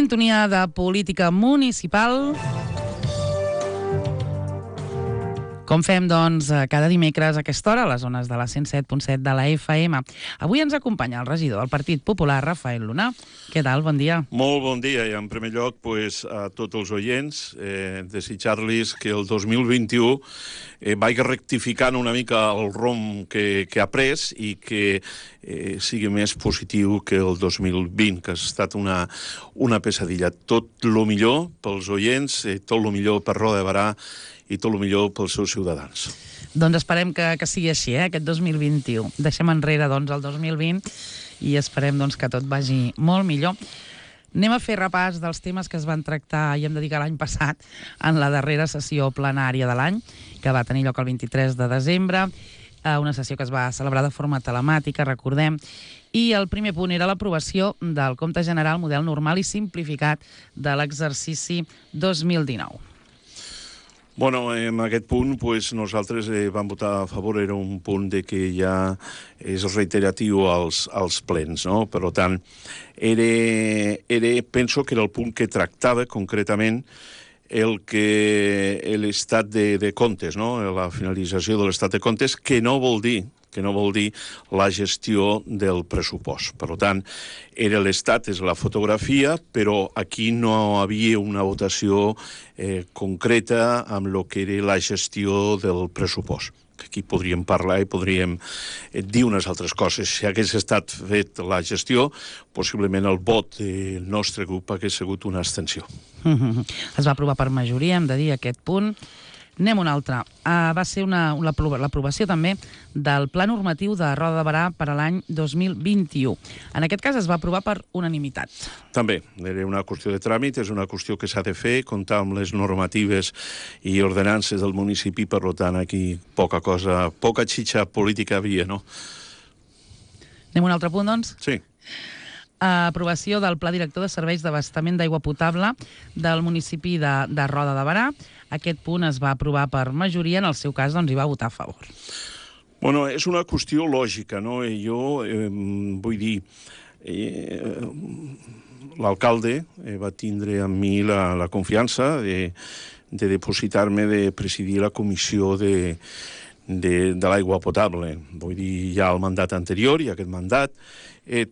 Sintonia de política municipal. Com fem, doncs, cada dimecres a aquesta hora, a les zones de la 107.7 de la FM. Avui ens acompanya el regidor del Partit Popular, Rafael Luna. Què tal? Bon dia. Molt bon dia, i en primer lloc a tots els oients, desitjar-los que el 2021 vagi rectificant una mica el rumb que ha pres i que sigui més positiu que el 2020, que ha estat una pesadilla. Tot el millor pels oients, tot el millor per Roda de Barà i tot el millor pels seus ciutadans. Doncs esperem que sigui així, aquest 2021. Deixem enrere, doncs, el 2020 i esperem, doncs, que tot vagi molt millor. Anem a fer repàs dels temes que es van tractar, i hem de dir que l'any passat, en la darrera sessió plenària de l'any, que va tenir lloc el 23 de desembre, una sessió que es va celebrar de forma telemàtica, recordem, i el primer punt era l'aprovació del compte general model normal i simplificat de l'exercici 2019. Bueno, en aquest punt nosaltres vam votar a favor, era un punt de que ja és reiteratiu als plens, no? Per tant, penso que era el punt que tractava concretament l'estat de comptes, no? La finalització de l'estat de comptes, que no vol dir la gestió del pressupost. Per tant, era l'estat, és la fotografia, però aquí no havia una votació concreta amb el que era la gestió del pressupost. Aquí podríem parlar i podríem dir unes altres coses. Si hagués estat fet la gestió, possiblement el vot del nostre grup hagués sigut una abstenció. Es va aprovar per majoria, hem de dir, aquest punt. Anem a un altre. Va ser l'aprovació també del Pla Normatiu de Roda de Barà per a l'any 2021. En aquest cas es va aprovar per unanimitat. També, era una qüestió de tràmit, és una qüestió que s'ha de fer, comptar amb les normatives i ordenances del municipi, per tant, aquí poca xitxa política havia, no? Anem a un altre punt, doncs? Sí. Aprovació del Pla Director de Serveis d'Abastament d'Aigua Potable del municipi de Roda de Barà. Aquest punt es va aprovar per majoria, en el seu cas doncs hi va votar a favor. Bueno, és una qüestió lògica, no? Jo vull dir, l'alcalde va tindre amb mi la confiança de depositar-me de presidir la comissió de l'aigua potable. Vull dir, ja el mandat anterior i aquest mandat,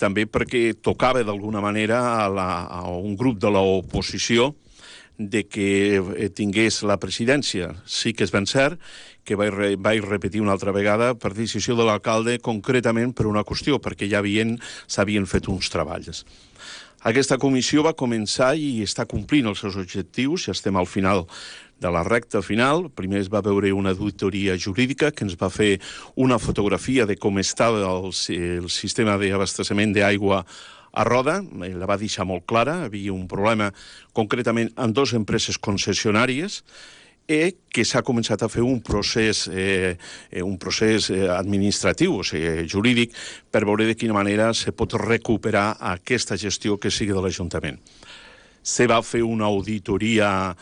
també perquè tocava d'alguna manera a un grup de l'oposició de que tingués la presidència. Sí que és ben cert que vaig repetir una altra vegada per decisió de l'alcalde, concretament per una qüestió, perquè ja s'havien fet uns treballs. Aquesta comissió va començar i està complint els seus objectius, ja estem al final de la recta final. Primer es va veure una auditoria jurídica que ens va fer una fotografia de com estava el sistema d'abastament d'aigua a Roda, la va deixar molt clara, havia un problema concretament amb dues empreses concessionàries que s'ha començat a fer un procés administratiu, o sigui, jurídic, per veure de quina manera se pot recuperar aquesta gestió que sigui de l'Ajuntament. Se va fer una auditoria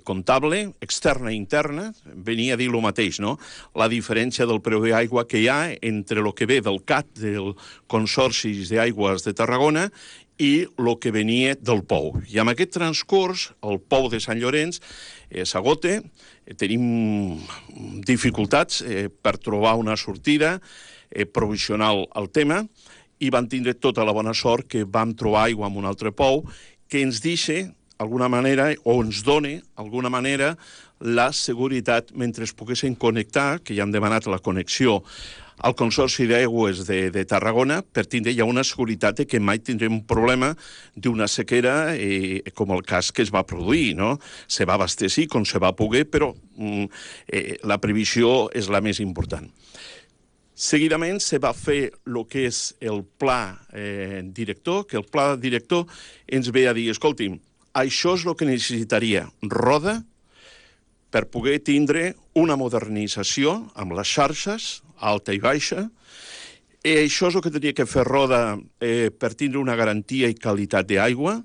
comptable, externa i interna, venia a dir el mateix, no? La diferència del preu d'aigua que hi ha entre el que ve del CAT, del Consorci d'Aigües de Tarragona, i el que venia del POU. I amb aquest transcurs, el POU de Sant Llorenç s'agota, tenim dificultats per trobar una sortida provisional al tema, i vam tindre tota la bona sort que vam trobar aigua amb un altre POU que ens deixa alguna manera, o ens dona, alguna manera, la seguretat mentre es poguessin connectar, que ja hem demanat la connexió al Consorci d'Aigües de Tarragona, per tindre ja una seguretat de que mai tindrem un problema d'una sequera com el cas que es va produir, no? Se va abastecer com se va poder, però la previsió és la més important. Seguidament se va fer el que és el pla director, que el pla director ens ve a dir, escolti'm, això és el que necessitaria Roda per poder tindre una modernització amb les xarxes, alta i baixa, i això és el que hauria que fer Roda per tindre una garantia i qualitat d'aigua,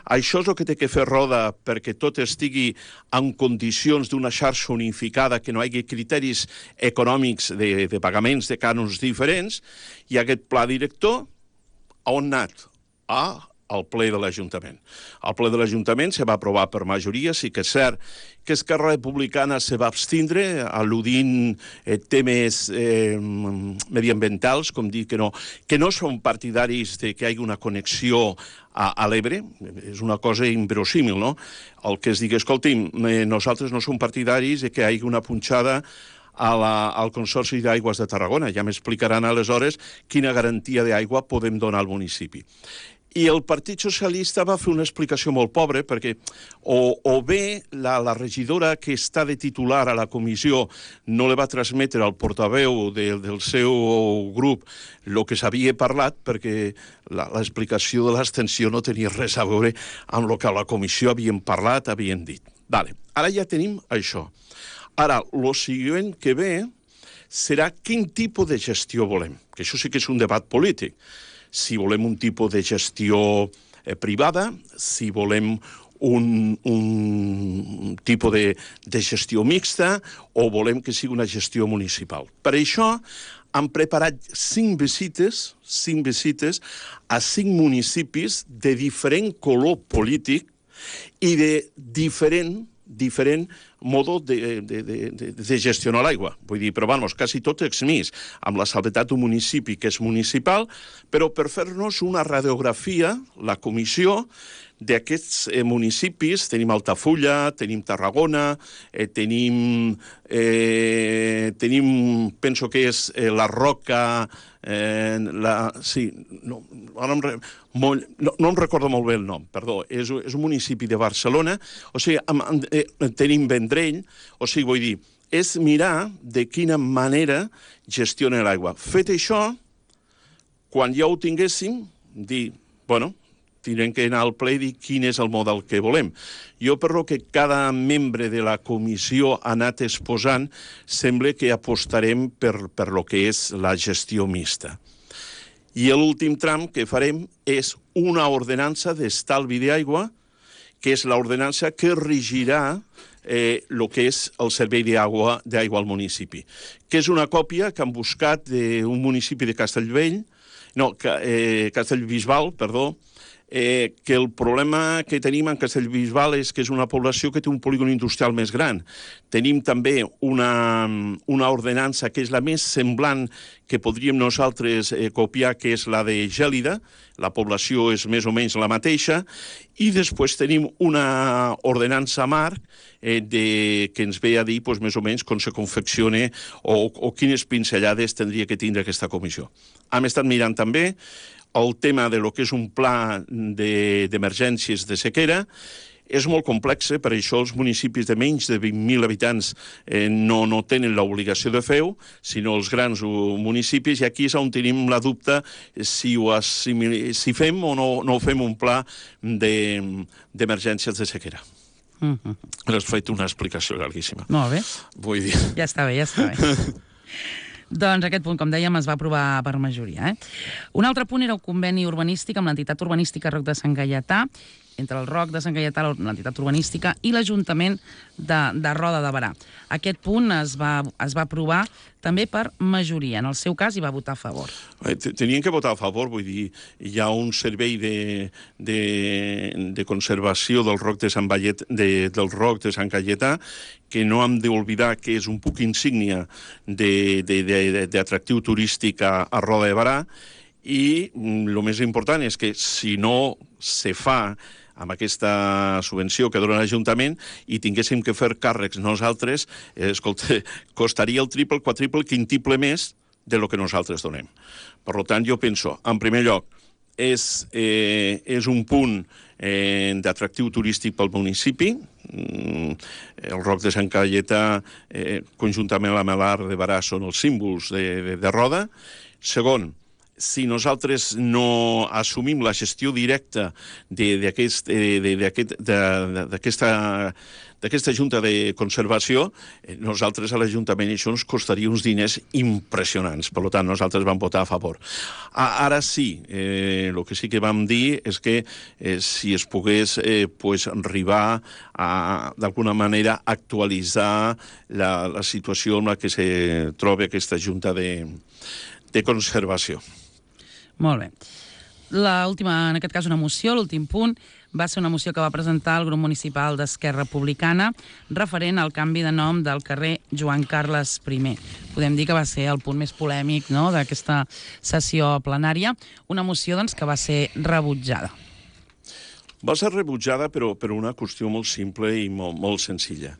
això és el que té que fer Roda perquè tot estigui en condicions d'una xarxa unificada, que no hi hagi criteris econòmics de pagaments de cànons diferents, i aquest pla director on ha anat? A al ple de l'Ajuntament. Al ple de l'Ajuntament se va aprovar per majoria, sí que és cert que Esquerra Republicana se va abstindre, al·ludint temes mediambientals, com dir que no són partidaris de que hi hagi una connexió a l'Ebre, és una cosa inverosímil, no? El que es digui, escolti'm, nosaltres no som partidaris de que hi hagi una punxada al Consorci d'Aigües de Tarragona. Ja m'explicaran aleshores quina garantia d'aigua podem donar al municipi. I el Partit Socialista va fer una explicació molt pobra, perquè o bé la regidora que està de titular a la comissió no li va transmetre al portaveu del seu grup el que s'havia parlat, perquè l'explicació de l'abstenció no tenia res a veure amb el que a la comissió havien parlat, havien dit. Vale, ara ja tenim això. Ara, el següent que ve serà quin tipus de gestió volem, que això sí que és un debat polític. Si volem un tipus de gestió privada, si volem un tipus de gestió mixta o volem que sigui una gestió municipal. Per això han preparat 5 visites a 5 municipis de diferent color polític i de diferent modo de gestionar l'aigua. Vull dir, però vamos, quasi tot exmís, amb la salvetat d'un municipi que és municipal, però per fer-nos una radiografia, la comissió d'aquests municipis, tenim Altafulla, tenim Tarragona, tenim, penso que és la Roca, sí, no em recordo molt bé el nom, perdó, és un municipi de Barcelona, o sigui, tenim Vendrell, o sigui, vull dir, és mirar de quina manera gestiona l'aigua. Fet això, quan ja ho tinguéssim, dir, bueno, tindrem que anar al ple i dir quin és el model que volem. Jo, per lo que cada membre de la comissió ha anat exposant, sembla que apostarem per lo que és la gestió mixta. I l'últim tram que farem és una ordenança d'estalvi d'aigua, que és l'ordenança que regirà el que és el servei d'aigua al municipi, que és una còpia que han buscat d'un municipi de Castellbisbal, perdó, que el problema que tenim en Castellbisbal és que és una població que té un polígon industrial més gran. Tenim també una ordenança que és la més semblant que podríem nosaltres copiar, que és la de Gèlida, la població és més o menys la mateixa, i després tenim una ordenança marc que ens ve a dir més o menys com se confecciona o quines pinzellades tindria que tindre aquesta comissió. Hem estat mirant també el tema de lo que és un pla d'emergències de sequera. És molt complex, per això els municipis de menys de 20.000 habitants no tenen l'obligació de fer-ho, sinó els grans municipis, i aquí és on tenim la dubte si fem o no fem un pla d'emergències de sequera. Has fet una explicació llarguíssima. Molt bé. Vull dir... Ja està bé. Doncs aquest punt, com dèiem, es va aprovar per majoria. Un altre punt era el conveni urbanístic amb l'entitat urbanística Roc de Sant Gaietà, entre el Roc de Sant Gaietà, l'entitat urbanística, i l'Ajuntament de Roda de Berà. Aquest punt es va aprovar també per majoria. En el seu cas hi va votar a favor. Tenien que votar a favor, vull dir, hi ha un servei de conservació del Roc de Sant Gaietà que no hem d'oblidar que és un punt insígnia d'atractiu turístic a Roda de Berà, i el més important és que si no se fa amb aquesta subvenció que dona l'Ajuntament i tinguéssim que fer càrrecs nosaltres, escolta, costaria el triple, quadriple, quintiple més de lo que nosaltres donem. Per tant, jo penso, en primer lloc, és un punt d'atractiu turístic pel municipi. El Roc de Sant Gaietà, conjuntament amb la Melar de Berà, són els símbols de Roda. Segon, si nosaltres no assumim la gestió directa d'aquesta Junta de Conservació, nosaltres a l'Ajuntament això ens costaria uns diners impressionants. Per tant, nosaltres vam votar a favor. Ara sí, el que sí que vam dir és que si es pogués arribar a, d'alguna manera, actualitzar la situació en la que se troba aquesta Junta de Conservació. Molt bé. L'última, en aquest cas una moció, l'últim punt, va ser una moció que va presentar el grup municipal d'Esquerra Republicana referent al canvi de nom del carrer Joan Carles I. Podem dir que va ser el punt més polèmic, no?, d'aquesta sessió plenària. Una moció doncs, que va ser rebutjada. Va ser rebutjada però per una qüestió molt simple i molt senzilla.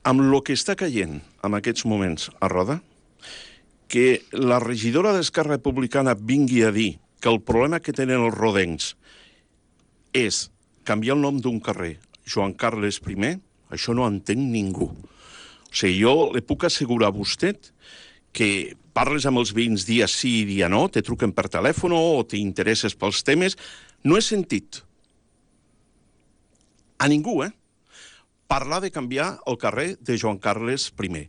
Amb el que està caient en aquests moments a Roda, que la regidora d'Esquerra Republicana vingui a dir que el problema que tenen els rodencs és canviar el nom d'un carrer, Joan Carles I, això no entén ningú. O sigui, jo li puc assegurar a vostè que parles amb els veïns dia sí i dia no, te truquen per telèfon o t'interesses pels temes, no he sentit a ningú, parlar de canviar el carrer de Joan Carles I.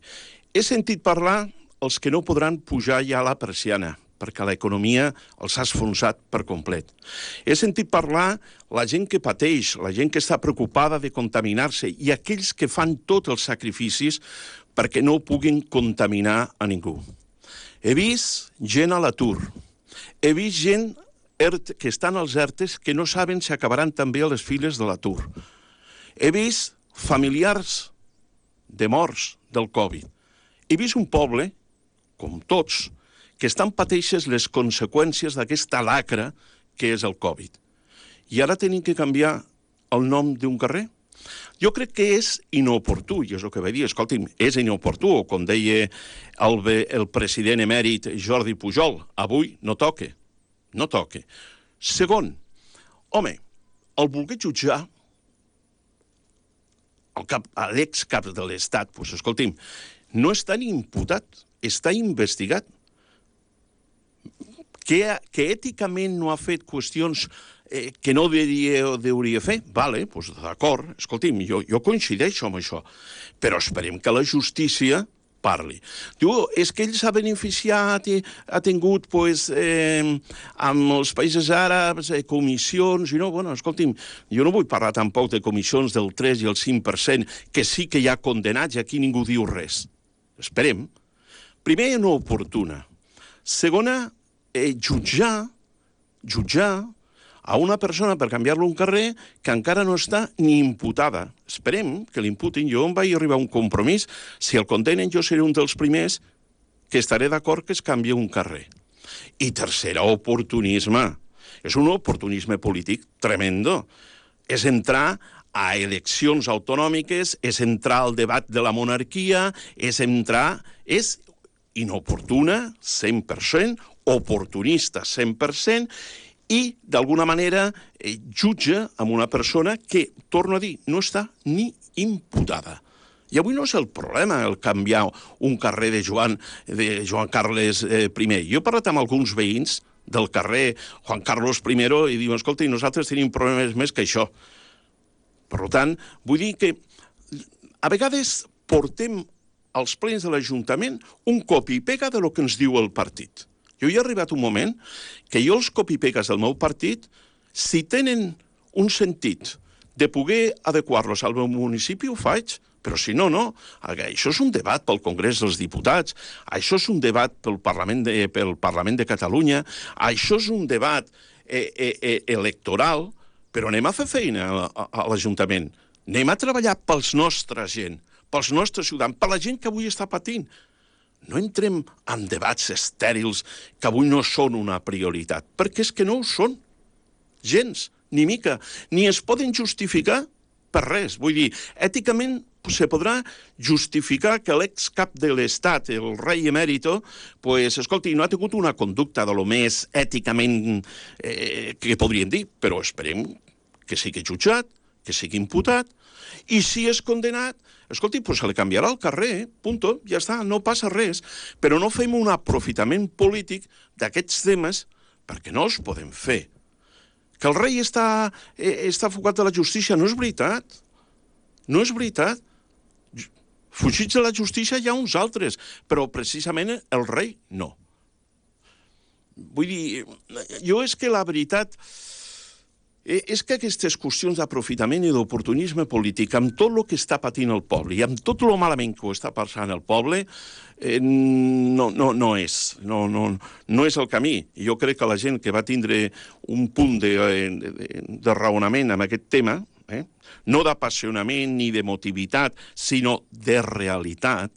He sentit parlar els que no podran pujar ja a la persiana, perquè l'economia els ha esfonsat per complet. He sentit parlar la gent que pateix, la gent que està preocupada de contaminar-se i aquells que fan tots els sacrificis perquè no puguin contaminar a ningú. He vist gent a l'atur, he vist gent que estan als ERTEs que no saben si acabaran també a les files de l'atur. He vist familiars de morts del Covid. He vist un poble, com tots, que estan pateixes les conseqüències d'aquesta lacra que és el Covid. I ara tenim que canviar el nom d'un carrer? Jo crec que és inoportú, i és el que vaig dir, escolti'm, és inoportú, o com deia el president emèrit Jordi Pujol, avui no toca, no toca. Segon, home, el voler jutjar l'excap de l'Estat, doncs escolti'm, no està ni imputat, està investigat. Que èticament no ha fet qüestions que no hauria fer, vale, doncs d'acord, escolti'm, jo coincideixo amb això, però esperem que la justícia parli. Diu, és que ell s'ha beneficiat i ha tingut, amb els països àrabs, comissions, i no, bueno, escolti'm, jo no vull parlar tampoc de comissions del 3 i el 5%, que sí que hi ha condenats i aquí ningú diu res. Esperem. Primer, no oportuna. Segona, jutjar a una persona per canviar-lo un carrer que encara no està ni imputada. Esperem que l'imputin. Jo em vaig arribar a un compromís. Si el condenen, jo seré un dels primers que estaré d'acord que es canvia un carrer. I tercera, oportunisme. És un oportunisme polític tremendo. És entrar a eleccions autonòmiques, és entrar al debat de la monarquia, és inoportuna, 100%, oportunista, 100%, i, d'alguna manera, jutja amb una persona que, torno a dir, no està ni imputada. I avui no és el problema el canviar un carrer de Joan Carles I. Jo he parlat amb alguns veïns del carrer Juan Carlos I i diuen, escolta, nosaltres tenim problemes més que això. Per tant, vull dir que a vegades portem als plens de l'Ajuntament un copi i pega de lo que ens diu el partit. Jo hi ha arribat un moment que jo els copi-pegues del meu partit, si tenen un sentit de poder adequar-los al meu municipi, ho faig, però si no, no. Això és un debat pel Congrés dels Diputats, això és un debat pel Parlament de Catalunya, això és un debat electoral, però anem a fer feina a l'Ajuntament. Anem a treballar pels nostres gent, pels nostres ciutadans, per la gent que avui està patint. No entrem en debats estèrils que avui no són una prioritat, perquè és que no ho són. Gens, ni mica, ni es poden justificar per res. Vull dir, èticament se podrà justificar que l'excap de l'Estat, el rei emèrito, escolti, no ha tingut una conducta de lo més èticament que podríem dir, però esperem que sigui jutjat, que sigui imputat, i si és condenat, escolti, se li canviarà el carrer, punto, ja està, no passa res, però no fem un aprofitament polític d'aquests temes perquè no els podem fer. Que el rei està fugat de la justícia, no és veritat. No és veritat. Fugits de la justícia hi ha uns altres, però precisament el rei no. Vull dir, jo és que la veritat És que aquestes qüestions d'aprofitament i d'oportunisme polític, amb tot el que està patint el poble i amb tot el malament que ho està passant el poble, no és el camí. Jo crec que la gent que va tindre un punt de raonament amb aquest tema, no d'apassionament ni d'emotivitat, sinó de realitat,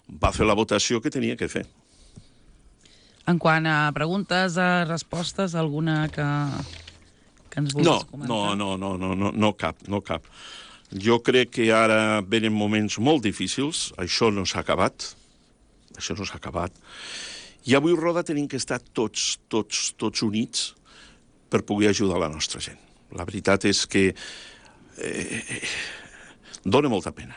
va fer la votació que tenia que fer. En quant a preguntes, a respostes, alguna que ens vulguis comentar? No cap. Jo crec que ara venen moments molt difícils, això no s'ha acabat, i avui Roda tenim que estar tots units per poder ajudar la nostra gent. La veritat és que dona molta pena.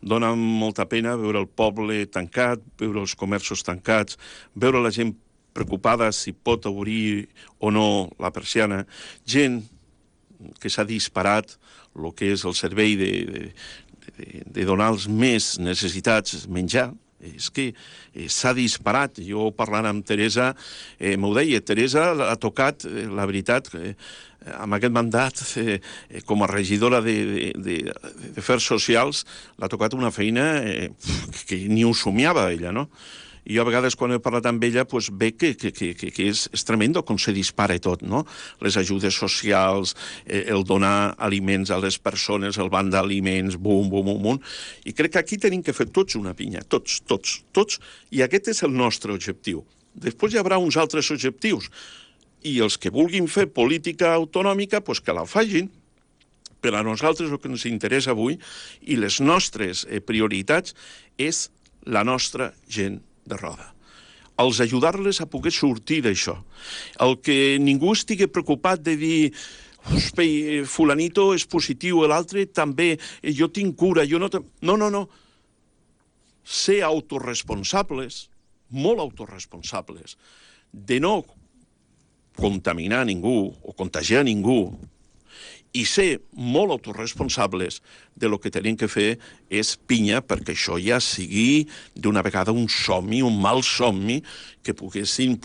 Dona molta pena veure el poble tancat, veure els comerços tancats, veure la gent preocupada si pot obrir o no la persiana, gent que s'ha disparat el que és el servei de donar als més necessitats menjar. És que s'ha disparat. Jo parlant amb Teresa, m'ho deia, Teresa ha tocat, la veritat, amb aquest mandat com a regidora d'Afers Socials, l'ha tocat una feina que ni ho somiava ella, no? I jo a vegades quan he parlat amb ella veig que és tremendo com se dispara tot, no? Les ajudes socials, el donar aliments a les persones, el banc d'aliments, bum. I crec que aquí tenim que fer tots una pinya, tots, i aquest és el nostre objectiu. Després hi haurà uns altres objectius, i els que vulguin fer política autonòmica, que la facin. Per a nosaltres el que ens interessa avui i les nostres prioritats és la nostra gent de Roda. Els ajudar-les a poder sortir d'això. El que ningú estigui preocupat de dir fulanito és positiu, l'altre també, jo tinc cura, jo no... No. Ser autorresponsables, molt autorresponsables, de no contaminar ningú o contagiar ningú, i ser molt autorresponsables de lo que tenim que fer és pinya perquè això ja sigui d'una vegada un somni, un mal somni, que poguessin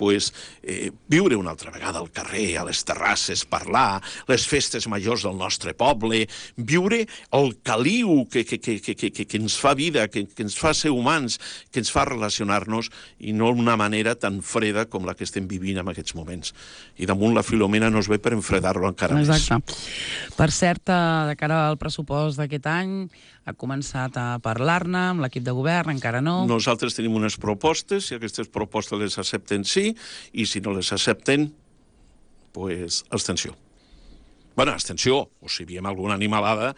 viure una altra vegada al carrer, a les terrasses, parlar, les festes majors del nostre poble, viure el caliu que ens fa vida, que ens fa ser humans, que ens fa relacionar-nos, i no d'una manera tan freda com la que estem vivint en aquests moments. I damunt la Filomena no es ve per enfredar-lo encara més. Exacte. Per cert, de cara al pressupost d'aquest any, ha començat a parlar-ne amb l'equip de govern, encara no? Nosaltres tenim unes propostes, si aquestes propostes les accepten, sí, i si no les accepten, abstenció. Bueno, abstenció, o si veiem alguna animalada,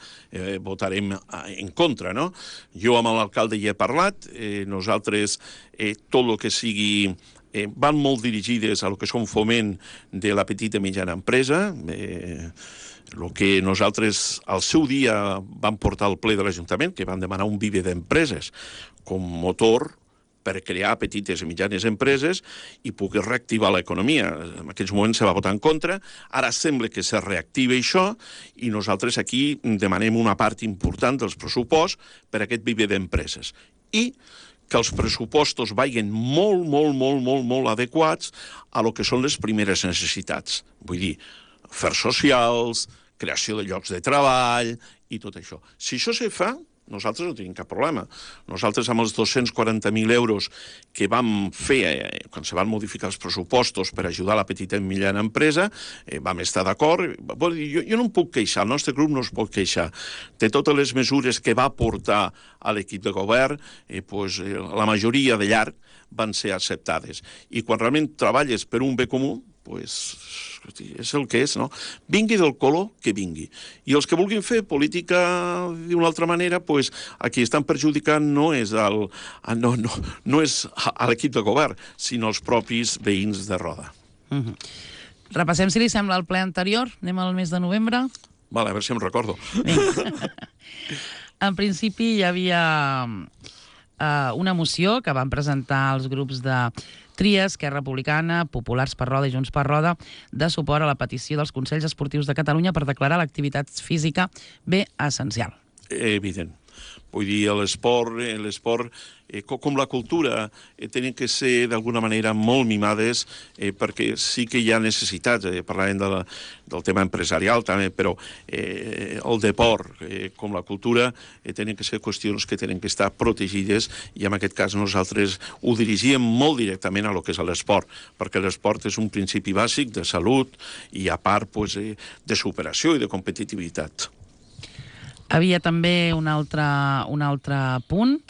votarem en contra, no? Jo amb l'alcalde hi he parlat, nosaltres tot el que sigui... van molt dirigides a lo que són foment de la petita i mitjana empresa, el que nosaltres al seu dia vam portar al ple de l'Ajuntament, que vam demanar un viver d'empreses com motor per crear petites i mitjanes empreses i poder reactivar l'economia. En aquells moments se va votar en contra, ara sembla que se reactiva això i nosaltres aquí demanem una part important dels pressuposts per a aquest viver d'empreses. I que els pressupostos vagin molt adequats a lo que són les primeres necessitats. Vull dir, afers socials, creació de llocs de treball i tot això. Si això se fa, nosaltres no tenim cap problema. Nosaltres amb els 240.000 euros que vam fer quan se van modificar els pressupostos per ajudar la petita i mitjana empresa, vam estar d'acord. Jo no em puc queixar, el nostre grup no es pot queixar. De totes les mesures que va portar a l'equip de govern, la majoria de llarg van ser acceptades. I quan realment treballes per un bé comú, és el que és, no? Vingui del color que vingui. I els que vulguin fer política d'una altra manera, a qui estan perjudicant no és a l'equip de govern, sinó als propis veïns de Roda. Repassem, si li sembla, el ple anterior. Anem al mes de novembre. Vale, a veure si em recordo. En principi hi havia una moció que van presentar els grups de Tria, Esquerra Republicana, Populars per Roda i Junts per Roda, de suport a la petició dels Consells Esportius de Catalunya per declarar l'activitat física bé essencial. Evident. Vull dir, l'esport com la cultura, tenen que ser d'alguna manera molt mimades perquè sí que hi ha necessitats, parlàvem del tema empresarial també, però el deport com la cultura tenen que ser qüestions que tenen que estar protegides i en aquest cas nosaltres ho dirigíem molt directament a lo que és l'esport, perquè l'esport és un principi bàsic de salut i a part de superació i de competitivitat. Havia també un altre punt,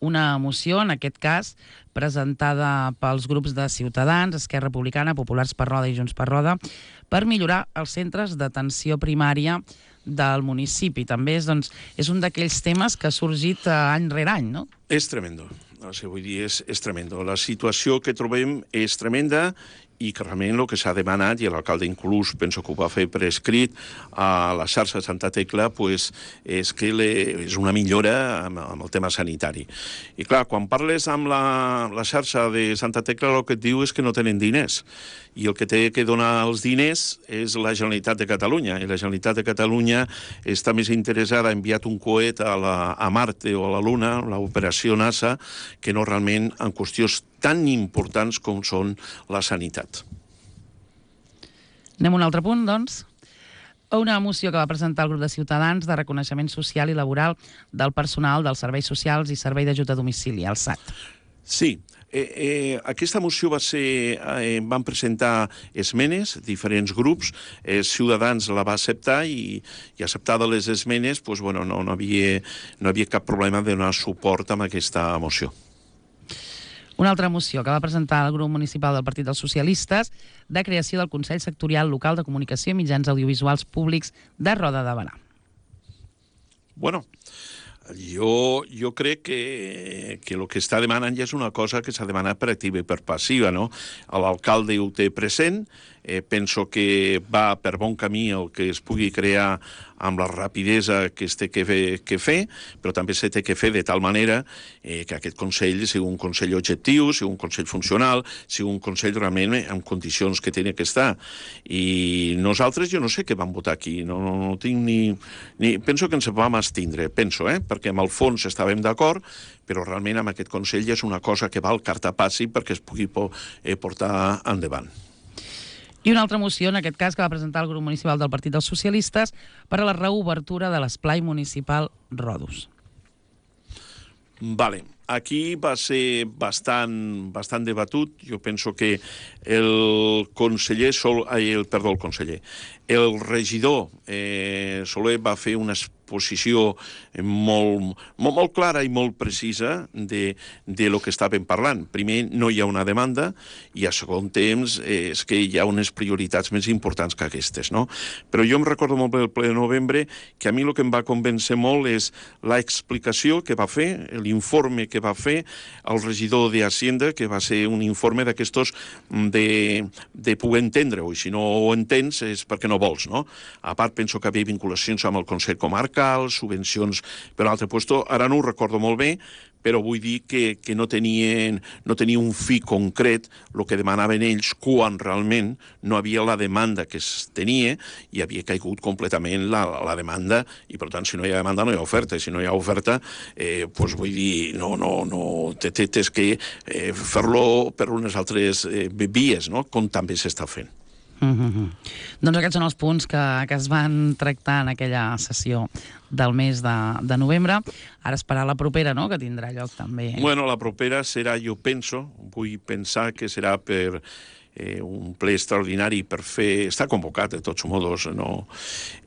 una moció, en aquest cas, presentada pels grups de Ciutadans, Esquerra Republicana, Populars per Roda i Junts per Roda, per millorar els centres d'atenció primària del municipi. També és un d'aquells temes que ha sorgit any rere any, no? És tremendo. Vull dir, és tremendo. La situació que trobem és tremenda i que realment el que s'ha demanat, i l'alcalde inclús penso que ho va fer per escrit a la xarxa de Santa Tecla, és que és una millora amb el tema sanitari. I clar, quan parles amb la xarxa de Santa Tecla, el que et diu és que no tenen diners. I el que té que donar els diners és la Generalitat de Catalunya. I la Generalitat de Catalunya està més interessada, ha enviat un coet a Marte o a la Luna, l'operació NASA, que no realment en qüestions tan importants com són la sanitat. Anem a un altre punt, doncs. Una moció que va presentar el grup de Ciutadans de reconeixement social i laboral del personal dels serveis socials i servei d'ajut a domicili, el SAT. Sí. Aquesta moció van presentar esmenes, diferents grups, Ciutadans la va acceptar i acceptada les esmenes, no havia cap problema de donar suport a aquesta moció. Una altra moció que va presentar el grup municipal del Partit dels Socialistes de creació del Consell Sectorial Local de Comunicació i Mitjans Audiovisuals Públics de Roda de Berà. Bueno, jo crec que el que està demanant ja és una cosa que s'ha demanat per activa i per passiva, no? L'alcalde ho té present, penso que va per bon camí el que es pugui crear amb la rapidesa que es té que fer, però també se té que fer de tal manera que aquest Consell sigui un Consell objectiu, sigui un Consell funcional, sigui un Consell realment en condicions que tenia que estar. I nosaltres, jo no sé què vam votar aquí, no tinc ni... Penso que ens vam abstindre, perquè amb el fons estàvem d'acord, però realment amb aquest Consell ja és una cosa que val carta passi perquè es pugui portar endavant. I una altra moció, en aquest cas, que va presentar el grup municipal del Partit dels Socialistes per a la reobertura de l'esplai municipal Rodus. Vale. Aquí va ser bastant debatut. Jo penso que el regidor Soler va fer una exposició molt clara i molt precisa de lo que estàvem parlant. Primer, no hi ha una demanda, i a segon temps és que hi ha unes prioritats més importants que aquestes, no? Però jo em recordo molt bé el ple de novembre que a mi el que em va convèncer molt és l'explicació que va fer, l'informe que va fer el regidor d'Hacienda, que va ser un informe d'aquestos de poder entendre-ho, i si no ho entens és perquè no vols, no? A part, penso que havia vinculacions amb el Consell Comarcal, subvencions per un altre lloc, ara no ho recordo molt bé, però vull dir que no tenia un fi concret el que demanaven ells quan realment no havia la demanda que es tenia i havia caigut completament la demanda, i per tant, si no hi ha demanda no hi ha oferta, i si no hi ha oferta, vull dir, tens que fer-lo per unes altres vies, no? Com també s'està fent. Doncs aquests són els punts que es van tractar en aquella sessió del mes de novembre. Ara esperar la propera, no?, que tindrà lloc també. Bueno, la propera serà, vull pensar que serà per un ple extraordinari per fer... Està convocat, de tots modos, no?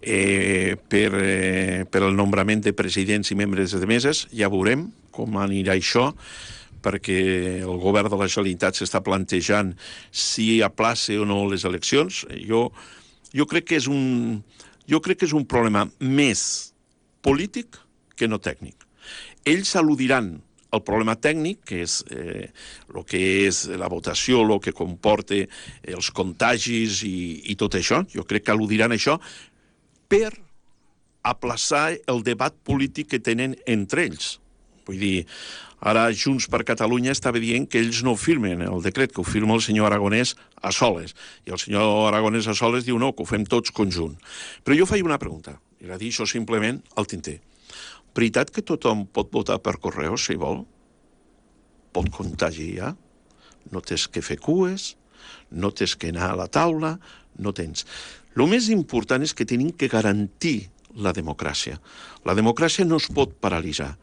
Per el nombrament de presidents i membres de meses. Ja veurem com anirà això, perquè el govern de la Generalitat s'està plantejant si aplaça o no les eleccions. Jo crec que és un problema més polític que no tècnic. Ells al·ludiran el problema tècnic, que és el que és la votació, el que comporta els contagis i tot això. Jo crec que al·ludiran això per aplaçar el debat polític que tenen entre ells. Vull dir, ara Junts per Catalunya estava dient que ells no firmen el decret, que ho firma el senyor Aragonès a soles. I el senyor Aragonès a soles diu no, que ho fem tots conjunt. Però jo faig una pregunta, i la deixo simplement al tinter. Veritat que tothom pot votar per correu, si vol? Pot contagiar? No tens que fer cues, no tens que anar a la taula, no tens... El més important és que tenim que garantir la democràcia. La democràcia no es pot paralitzar.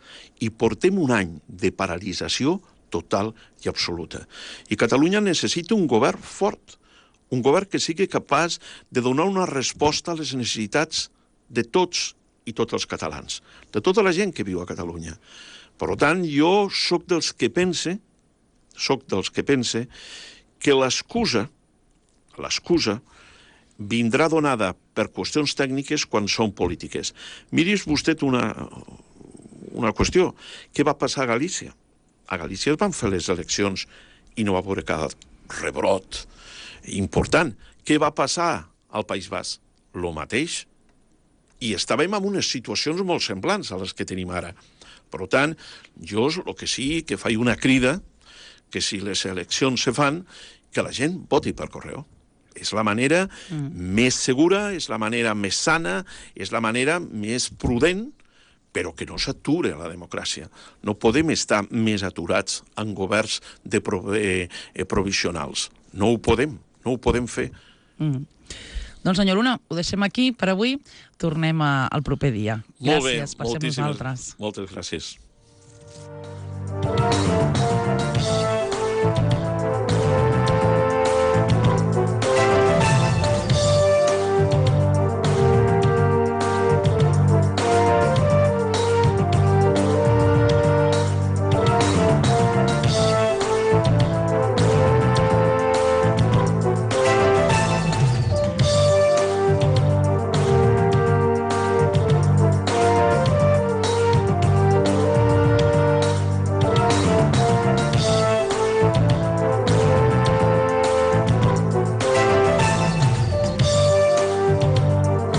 I portem un any de paralització total i absoluta. I Catalunya necessita un govern fort, un govern que sigui capaç de donar una resposta a les necessitats de tots i tots els catalans, de tota la gent que viu a Catalunya. Per tant, jo sóc dels que pense que l'excusa vindrà donada per qüestions tècniques quan són polítiques. Miris vostè una qüestió. Què va passar a Galícia? A Galícia es van fer les eleccions i no va haver cap rebrot important. Què va passar al País Basc? Lo mateix. I estàvem en unes situacions molt semblants a les que tenim ara. Per tant, jo el que sí que faig una crida que si les eleccions se fan, que la gent voti per correu. És la manera més segura, és la manera més sana, és la manera més prudent, però que no s'ature la democràcia. No podem estar més aturats en governs provisionals. No ho podem fer. Doncs, senyor Luna, ho deixem aquí per avui. Tornem al proper dia. Molt bé, Gràcies per ser amb nosaltres. Moltes gràcies.